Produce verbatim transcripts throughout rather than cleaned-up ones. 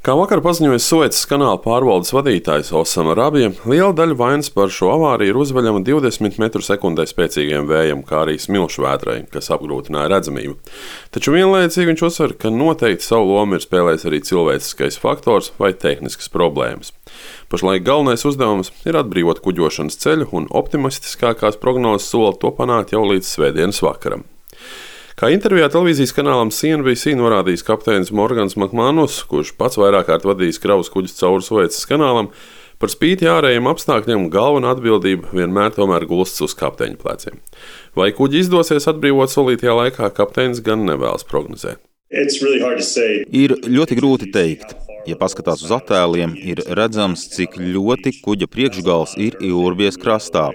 Kā vakar paziņoja Suecas kanāla pārvaldes vadītājs Osama Rabija, liela daļa vainas par šo avāriju ir uzveļama divdesmit metru sekundē spēcīgiem vējam, kā arī smilšu vētrai, kas apgrūtināja redzamību. Taču vienlaicīgi viņš uzsver, ka noteikti savu lomu ir spēlējis arī cilvēciskais faktors vai tehniskas problēmas. Pašlaik galvenais uzdevums ir atbrīvot kuģošanas ceļu, un optimistiskākās prognozes sola to panākt jau līdz svētdienas vakaram. Kā intervijā televīzijas kanālam C N B C norādījis kapteinis Morgans Makmanus, kurš pats vairāk kārt vadījis kravas kuģus cauri Suecas kanālam, par spīti ārējiem apstākļiem galvenā atbildība vienmēr tomēr gulstas uz kapteiņa pleciem. Vai kuģi izdosies atbrīvot solītajā laikā, kapteinis gan nevēlas prognozēt. Ir ļoti grūti teikt. Ja paskatās uz attēliem, ir redzams, cik ļoti kuģa priekšgals ir iurbies krastā.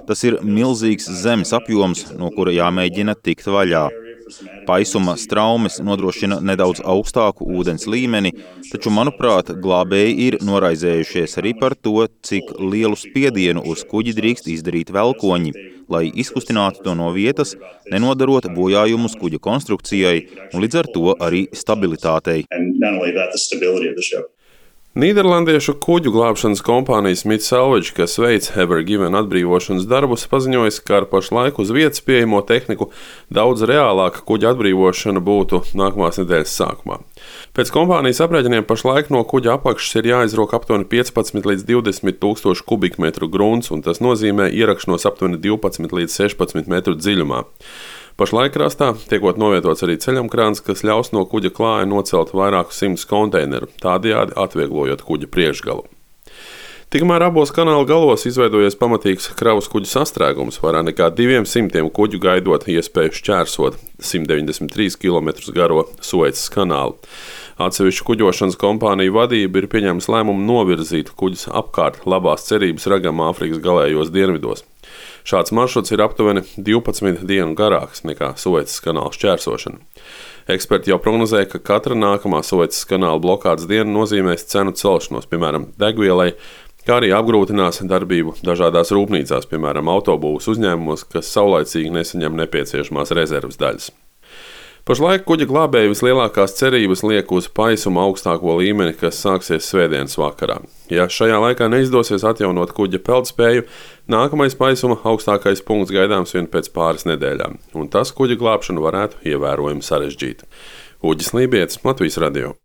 Tas ir milzīgs zemes apjoms, no kura jāmēģina tikt vaļā. Paisuma straumes nodrošina nedaudz augstāku ūdens līmeni, taču, manuprāt, glābēji ir noraizējušies arī par to, cik lielu spiedienu uz kuģi drīkst izdarīt velkoņi, lai izkustinātu to no vietas, nenodarot bojājumus kuģa konstrukcijai un līdz ar to arī stabilitātei. Nīderlandiešu kuģu glābšanas kompānija Smith Salvage, kas veic Ever Given atbrīvošanas darbus, paziņojas, ka ar pašlaik uz vietas pieejamo tehniku daudz reālāka kuģa atbrīvošana būtu nākamās nedēļas sākumā. Pēc kompānijas aprēķiniem pašlaik no kuģa apakšas ir jāizrok aptuveni piecpadsmit līdz divdesmit tūkstoši kubikmetru grunts, un tas nozīmē ierakšanos aptuveni divpadsmit līdz sešpadsmit metru dziļumā. Pašlaik krastā tiekot novietots arī ceļamkrāns, kas ļaus no kuģa klāja nocelt vairākus simtus konteineru, tādējādi atvieglojot kuģa priekšgalu. Tikmēr abos kanāla galos izveidojies pamatīgs kravas kuģu sastrēgums, vairāk nekā diviem simtiem kuģu gaidot iespēju šķērsot simt deviņdesmit trīs kilometrus garo Suecas kanālu. Atsevišķu kuģošanas kompāniju vadība ir pieņēmusi lēmumu novirzīt kuģus apkārt labās cerības ragam Āfrikas galējos dienvidos. Šāds maršruts ir aptuveni divpadsmit dienu garāks nekā Suecas kanāla šķērsošana. Eksperti jau prognozē, ka katra nākamā Suecas kanāla blokādes diena nozīmēs cenu celšanos, piemēram, degvielai, kā arī apgrūtinās darbību dažādās rūpnīcās, piemēram, autobūvas uzņēmumos, kas saulaicīgi nesaņem nepieciešamās rezerves daļas. Pašlaik kuģa glābēji vislielākās cerības liek uz paisuma augstāko līmeni, kas sāksies svētdienas vakarā. Ja šajā laikā neizdosies atjaunot kuģa peldspēju, nākamais paisuma augstākais punkts gaidāms vien pēc pāris nedēļām, un tas kuģa glābšanu varētu ievērojami sarežģīt. Uģis Lībietis, Latvijas radio.